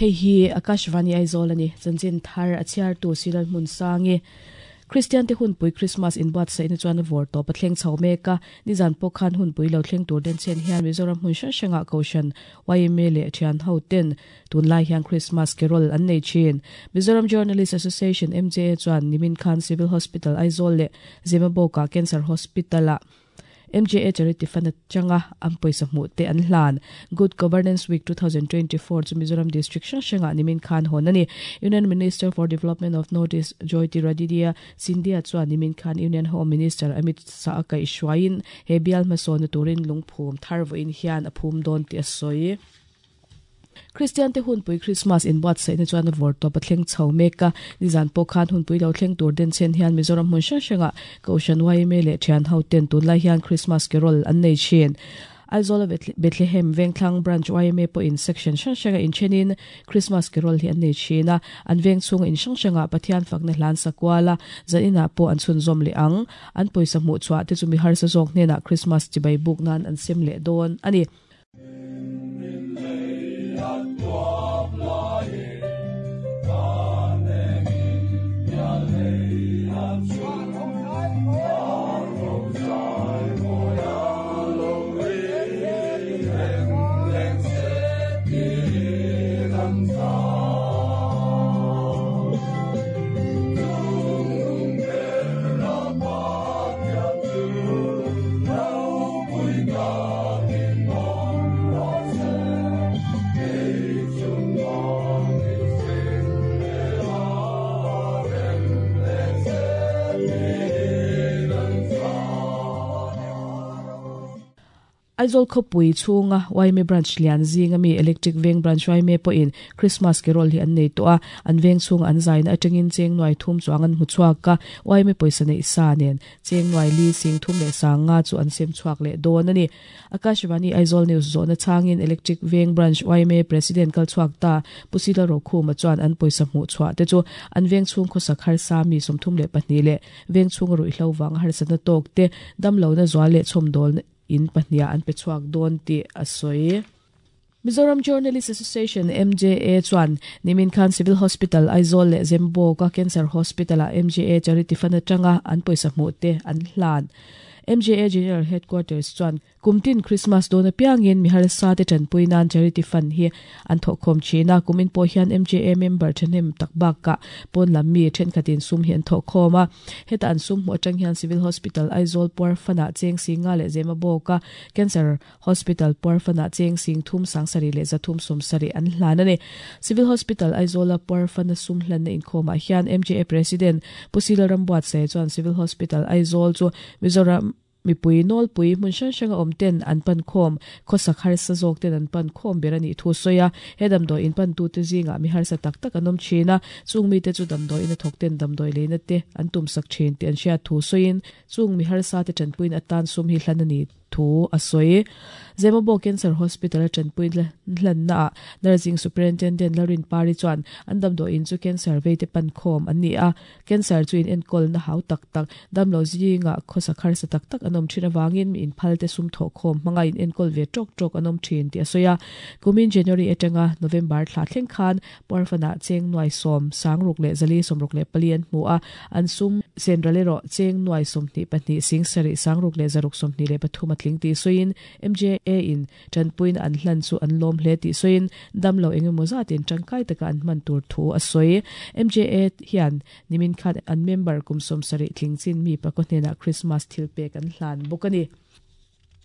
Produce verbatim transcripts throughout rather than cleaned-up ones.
Hei hi Akashvani Aizawl ani chanchin thar a chhiar tu Silal Hmun Sangi Christian te hun pui Christmas in buat sai na chuan vor to pathleng chho meka nizan pawh khan hun pui lo thleng tur den chen hian Mizoram hmun hrang hrangah Kohhran Y M A leh thian ho ten tunlai hian Christmas carol an nei thin. Mizoram Journalist Association M J A chuan nimin khan Civil Hospital Aizawl leh Zemabawka Cancer Hospital a M J A Charity Fund changa an pawisa hmuh te an hlan. Good Governance Week twenty twenty-four chu Mizoram District hrang hrangah nimin khan hawn ani. Union Minister for Development of North East Jyotiraditya Scindia chuan nimin khan Union Home Minister Amit Shah kai hruaiin he bial hmasawn na turin lungphum thar vawiin hian a phum dawn tih a sawi. Christian te hun pui Christmas in buat sai na chuan a vor to pathleng chho meka nizan pawh khan hun pui lo thleng tur den chen hian Mizoram hmun hrang hrangah Kohhran Y M A leh thian ho ten tunlai hian Christmas carol an nei thin. Aizawl Bethlehem Vengthlang Branch Y M A pawh in section hrang hranga in thenin Christmas carol hi an nei thin a, an veng chhung in hrang hrangah Pathian fakna hlan sakuala zanina pawh an chhun zawm leh ang. An pawisa hmuh chhuah te chu mi harsa zawk hnenah Christmas chibai buk nan an sem leh dawn ani. Aizawl khawpui chhunga Y M A branch lian zinga mi Electric Veng branch Y M A pawhin Christmas carol hi an nei tawh a, an veng chhung an zaina atangin cheng nuai thum chuang an hmu chhuak a, Y M A pawisa nei sa nen cheng nuai li sing thum leh sanga chu an sem chhuak leh dawn ani. Akashvani Aizawl News zawhna changin Electric Veng branch Y M A president kal chhuak ta Pusila Rokhuma chuan an pawisa hmuh chhuah te chu an veng chhung khawsak harsa mi sawmthum leh pahnih leh veng chhung ruihhlo wang harsa na tawk te damlo na zual leh chhawmdawl in pahnia an pe chhuak dawn tih a sawi. Mizoram Journalist Association M J A chuan nimin khan Civil Hospital Aizawl leh Zemabawka Cancer Hospital a M J A Charity Fund atanga an pawisa hmuh te an hlan. M J A General Headquarters chuan kumtin Christmas dawn apiangin mi harsa te tanpui nan Charity Fund hi an thawhkhawm thin a, kumin pawh hian M J A member thahnem tak bakah pawn lam mi thenkhatin sum hi an thawhkhawm a, heta an sum hmuh atang hian Civil Hospital Aizawl puar fund-ah cheng singa leh Zemabawka Cancer Hospital puar fund-ah cheng sing thum sangsarih leh zathum sawmsarih an hlan ani. Civil Hospital Aizawla puar fund-a sum hlanna inkhawmah hian M J A President Pusila Rambuatsaih chuan Civil Hospital Aizawl chu Mizoram mipui nawlpui hmun hrang hranga awm ten an pan khawm khawsak harsa zawk ten an pan khawm ber ani thu sawi a, he damdawi in pan tu te zingah mi harsa tak tak an awm thin a, chung mi te chu damdawi in a thawk ten damdawi leina te an tum sak thin tih an hriat thu sawiin chung mi harsa te tanpuiin atan sum hi hlan ani thu a sawi. Zemabawk Cancer Hospital a tanpui hlanna ah Nursing Superintendent Larin Pari chuan an damdawi in chu cancer vei te pan khawm an ni a, cancer chu in enkawl na hau tak tak damlo zinga khawsak harsa tak tak an awm thin awangin mi in phal te sum thawh khawm hmanga in enkawl ve tawk tawk an awm thin tih a sawi a. Kumin January atanga November thla thleng khan puarfanah cheng nuai sawm sangruk leh zali sawmruk leh pali an hmu a, an sum senral erawh cheng nuai sawmhnih pahnih sing sarih sangruk leh zaruk sawmhnih leh pathum a tling tih sawiin M J A in tanpuiin an hlan chu an lawm hle tih sawiin damlo engemaw zatin tangkai taka an hman tur thu a sawi. M J A hian nimin khan an member kum sawm sarih tling chin mi pakhaw hnenah Christmas thil pek an hlan bawk ani.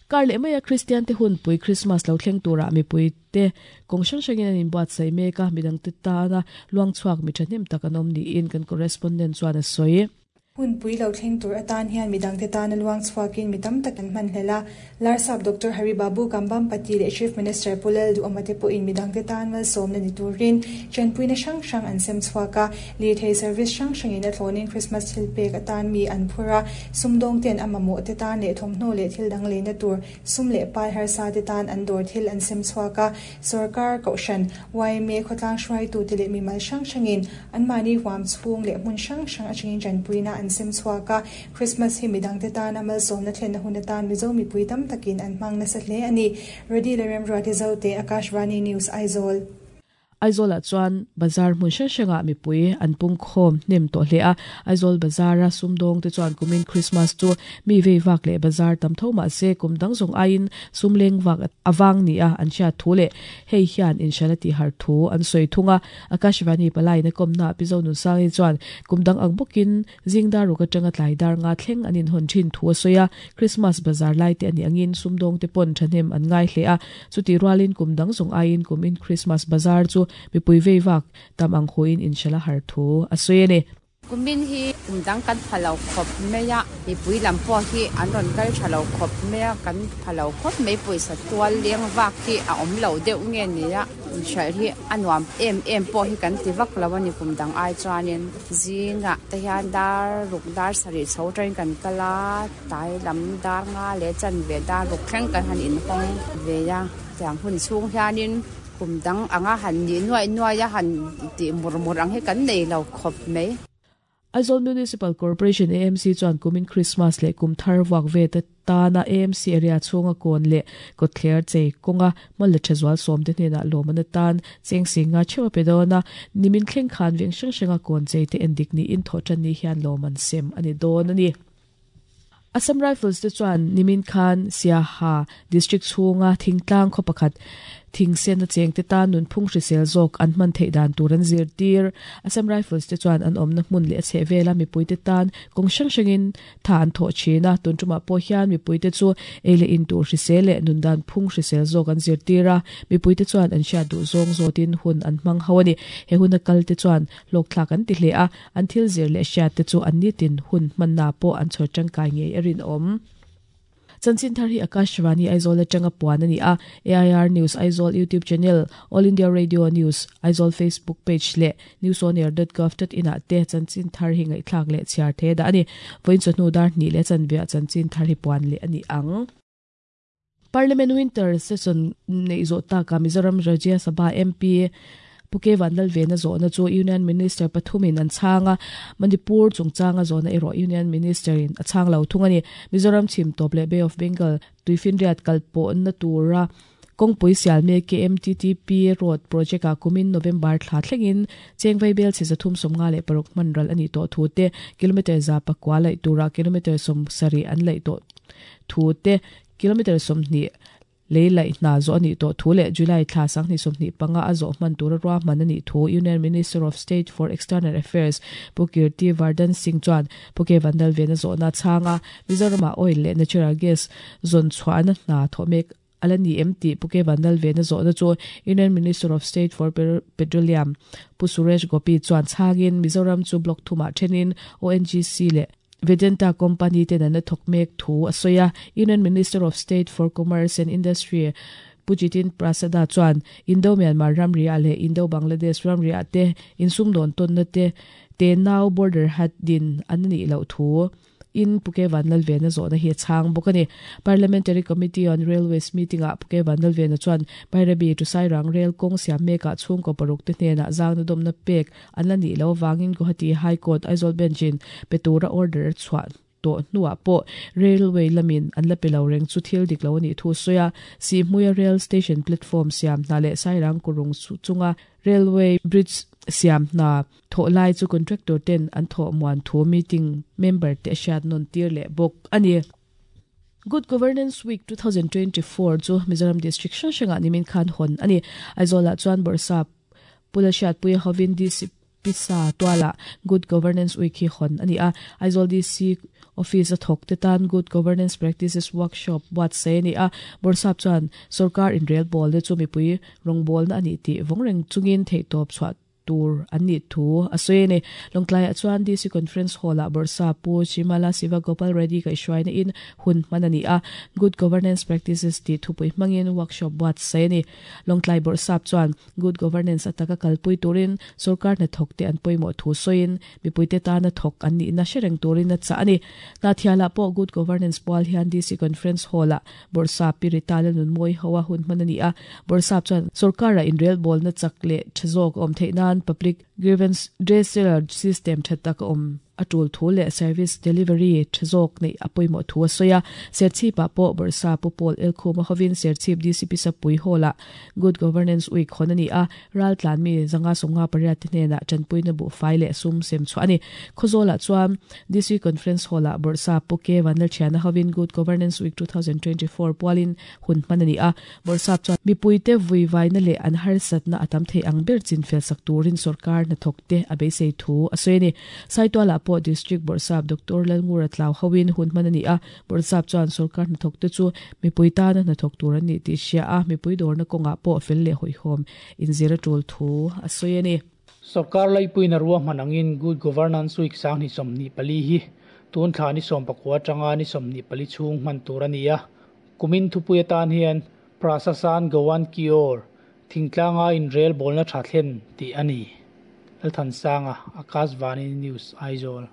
Kar leh maia Christian te hun pui Christmas lo thleng turah mipui te kawng hrang hrangin an inbuat sai mek a, midang te tana luang chhuak mi thahnem tak an awm niin kan correspondent chuan a sawi. Hun pui lo thleng tur atan hian midang te tana luang chhuakin mi tam tak an hman hlela. Larsap Doctor Hari Babu Kambam Pati leh Chief Minister Pulel Duhama te pawhin midang te tan malsawm na ni turin chanpuina hrang hrang an sem chhuak a, lirthei service hrang hrangin a thlawnin Christmas thil pek atan mi an phur a, sumdawng ten a mamawh te tan leh thawmhnaw leh thil dang leina tur sum leh pai harsa te tan an dawr thil an sem chhuak a, sarkar Kohhran Y M A khawtlang hruaitu te leh mimal hrang hrangin an mahni huam chhung leh hmun hrang hrang atangin chanpuina an sem chhuak a, Christmas hi midang te tan a malsawm na thlen na hun atan Mizo mipui tam takin an hmang nasa hle ani. Ready le Remruati Zote, Akashvani News, Aizawl. Aizawl ah chuan bazar hmun hrang hrangah mipui an pung khawm hnem tawh hle a Aizawl bazara sumdawng te chuan kumin Christmas chu mi vei vak leh bazar tam tho mahse kum dang zawng aiin sumleng vak awang ni a an hriat thu leh hei hian inshala ti har thu an sawi thunga Akashvani palai na komna Pizo nun sangi chuan kum dang ang bawkin zingdar ruk atanga tlai dar nga thleng an in hawn thin thu a sawi a Christmas bazar lai te ani angin sumdawng te pawn thahnem an ngai hle a chuti rualin kum dang zawng aiin kumin Christmas bazar chu mipui vei vak tam ang huin inshala har thu a sawi ani kumin hi kumdang kan phalo khop meya mipui lam pawh hi an rawn kal thalo khop meya kan phalo khop mai pawisa tual leng vak hi a awm lo deuh nge nia inhralh hi a nuam em em pawh hi kan ti vak lo ani kumdang ai chuanin zinga te hian dar ruk dar sarih chho train kan kala tai lam dar nga le chan ve dar ruk thleng kan han in hawng ve ya tiang hun chhung hianin kumdang anga han ni nuai nuai a han ti mur mur ang hi kan nei lo khop mai Aizawl Municipal Corporation A M C chuan kumin Christmas leh kum thar wak ve ta tana A M C area chhunga kawn leh kawtthler chei kawnga mawle thazual sawm te hnenah lawm an atan cheng singa theuh a pe dawn a nimin thleng khan veng hrang hranga kawn chei te endik ni in thaw tan ni hian lawm an sem ani dawn ani Assam Rifles te chuan nimin khan Siaha district chhunga thingtlang khaw pakhat thingsen a cheng te tan nun phung hrisel zawk an hman theih dan tur an zir tir Assam Rifles te chuan an awmna hmun leh a chheh vela mipui te tan kawng hrang hrangin tha an thawh thin a tun tumah pawh hian mipui te chu ei leh in tur hrisel leh nun dan phung hrisel zawk an zir tir a mipui te chuan an hriat duh zawng zawtin hun an hmang ho ani he hun a kal te chuan hlawk thlak an ti hle a an thil zir leh hriat te chu an nitin hun hmanna pawh an chhawr tangkai ngei a rin awm Chanchin thar hi Akashvani Aizawl atanga puan ani a A I R News Aizawl YouTube channel All India Radio News Aizawl Facebook page le news on air dot gov dot in ah te chanchin thar hi ngai thlak le chhiar the da ani voin chawhnu dar hnih le chanvia chanchin thar hi puan le ani ang Parliament Winter Session nei zo ta ka Mizoram Rajya Sabha M P Puke Vandal Vena zona chu Union Minister pathumin an changa Manipur chungchanga zona ero Union Minister in a chang lo thungani Mizoram chim top le Bay of Bengal tuifinriat kalpo na tura kongpui sial me K M T T P road project a kumin November thla thlengin chengvai bel chi zathum somnga le paruk manral ani to thu te kilometer za pakwa lai tura kilometer som sari an lai to thu te kilometer somni lei lai na zo ani to thu le July thla sang ni somni panga a zo man tur ra man ani thu Union Minister of State for External Affairs Pukirti Vardhan Singh chuan Puke Vandal Vena zo na changa Mizoram oil le natural gas zon chuan na thomek alani M T Puke Vandal Vena zo na chu Union Minister of State for Petroleum Pu Suresh Gopi chuan changin Mizoram chu block thuma thenin O N G C le Vedanta Company te na thokmek thu asoya Union Minister of State for Commerce and Industry Pujitin Prasada chuan Indo Myanmar ramria le Indo Bangladesh ramria te insum don ton na te te now border hat din anani lo thu in Puke Vanlal Vena zo na hi chang bokani Parliamentary Committee on Railways meeting a Puke Vanlal Vena chuan Bairabi to Sairang rail kong siam meka chung ko paruk te hne na zang na dom na pek anlani lo wangin Guwahati High Court Aizawl Benchin petura order chuan to nuwa po railway lamin an la pelo reng chu thil dik lo ani thu soya si hmuya rail station platform siam na le Sairang kurung chunga railway bridge siam na tho lai chu contractor ten an tho muan thu meeting member te shat non tir le bok ani Good Governance Week twenty twenty-four chu Mizoram District hrang hranga nimin khan hon ani Aizawl ah chuan Borsa Pulashat Puia Hovin D C Pisa Tuala Good Governance Week hi hon ani a Aizawl D C Office a thok te tan Good Governance Practices Workshop wat se ni a Borsap chuan sarkar in rail ball le chu mipui rongbol na ani ti vongreng chungin thei top chhuat tur ani thu asoi ne longtlai chuan D C Conference Hall a Borsa Pu Chimala Siva Gopal Reddy ka ishwaina in hun manani a Good Governance Practices ti thupui mangin workshop wat se ni longtlai Borsap chuan Good Governance ataka kalpui turin sarkar na thok te an poimo thu soin mipui te ta na thok ani na shereng turin na cha ani na thiala po Good Governance pol hian D C Conference Hall a Borsa Piritala nun moi hawa hun manani a Borsap chuan sarkar a in rail ball na chakle thazok om theina public grievance redressal system thatak om atul thu le service delivery thazok nei apoimo thu asoya Serchhip ah pawh Bawrhsap Pu Paul Elkhuma hovin Serchhip D C P Sapui Hall ah Good Governance Week hawn ani a raltlan mi zanga sawmnga pariat te hnenah tanpuina bu fai leh sum sem chhuah ani Khawzawl ah chuan D C Conference Hall ah Bawrhsap Pu K Vanlalthiana hovin Good Governance Week two thousand twenty-four pualin hun hman ani a Bawrhsap chuan mipuite vuivaina leh an harsatna a tam thei ang ber chinfel sak turin sarkar hnathawk te a beisei thu a sawi ani Saitual ah pawh District Bawrhsap Doctor Lalngura Tlau hovin hun hman ani a Bawrhsap chuan sarkar hnathawk te chu mipui tana hnathawk tur an ni tih hria a mipui dawrna kawngah pawh fel leh hawihhawm inzir a tul thu a sawi ani Sarkar laipuina ruah hman angin Good Governance Week sang ni sawmhnih pali hi tun thla ni sawm pakua atanga ni sawmhnih pali chhung hman tur ani a kumin thupui atan hian Prasasan Gawan Kior thingtlanga in rel bawlna tha thlen tih ani Lalthansanga Akashvani News Aizawl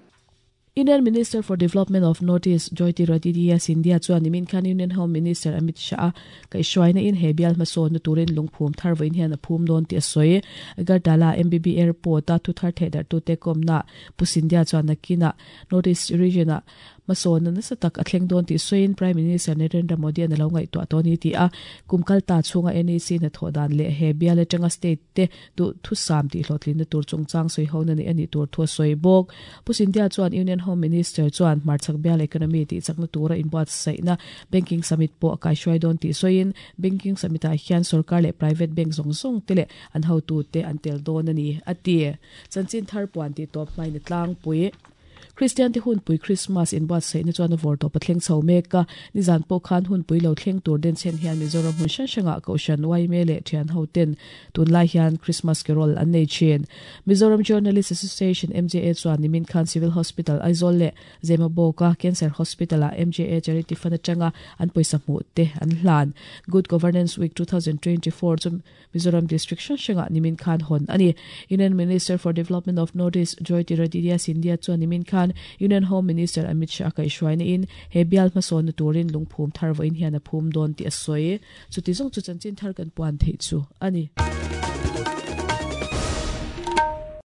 Union Minister for Development of Northeast Jyotiraditya Scindia chuan nimin khan Union Home Minister Amit Shah kaihhruaina in he bial hmasawn na turin lungphum thar vawiin hian a phum dawn tih a sawi Agartala M B B Airport a thu thar theih darh tu te kawmna Pu Scindia chuan nakina Northeast region ah hmasawn na nasa tak a thleng dawn tih sawiin Prime Minister Narendra Modi an a lo ngaihtuah tawn ni ti a kumkalta chhunga N A C na thawh dan leh he bial atanga state te duh thusam tih hlawhtlin na tur chungchang sawi ho na ni ani tur thu a sawi bawk Pu Scindia chuan Union Home Minister chuan hmarchhak bial economy tih chakna tura inbuat saihna banking summit pawh a kaihhruai dawn tih sawiin banking summit ah hian sarkar leh private bank zawng zawng te leh an hotu te an tel dawn ani a ti chanchin thar puan tih tawp hmain a tlangpui Christian te hunpui Christmas inbuat saihna chuan a vawr tawp a thleng chho mek a nizan pawh khan hunpui lo thleng tur den chen hian Mizoram hmun hrang hrangah Kohhran Y M A leh thian ho ten tunlai hian Christmas carol an nei thin Mizoram Journalist Association M J A chuan nimin khan Civil Hospital Aizawl leh Zemabawk a Cancer Hospital ah M J A Charity Fund atanga an pawisa hmuh te an hlan Good Governance Week two thousand twenty-four chu Mizoram District hrang hrangah nimin khan hawn ani Union Minister for Development of Northeast Jyotiraditya Scindia chuan nimin khan Union Home Minister Amit Shah kaihhruaina in he bial hmasawn na turin lungphum thar vawiin hian a phum dawn tih a sawi chuti zawng chu chanchin thar kan puan theih chu ani.